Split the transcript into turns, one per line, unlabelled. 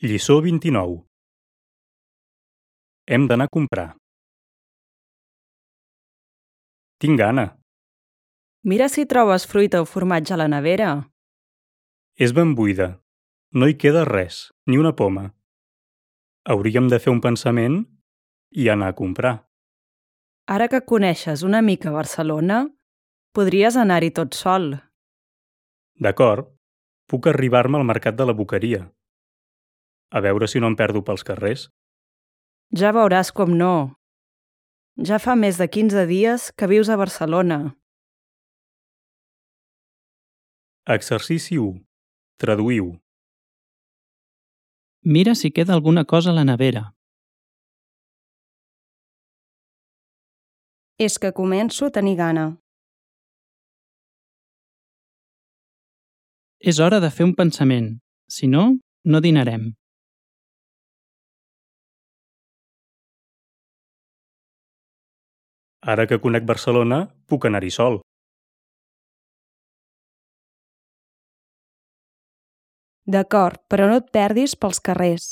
Lliçó 29. Hem d'anar a comprar. Tinc gana.
Mira si trobes fruita o formatge a la nevera.
És ben buida. No hi queda res, ni una poma. Hauríem de fer un pensament i anar a comprar.
Ara que coneixes una mica Barcelona, podries anar-hi tot sol.
D'acord, puc arribar-me al mercat de la Boqueria. A veure si no em perdo pels carrers.
Ja veuràs com no. Ja fa més de 15 dies que vius a Barcelona.
Exercici 1. Traduïu.
Mira si queda alguna cosa a la nevera.
És que començo a tenir gana.
És hora de fer un pensament. Si no, no dinarem.
Ara que conec Barcelona, puc anar-hi sol.
D'acord, però no et perdis pels carrers.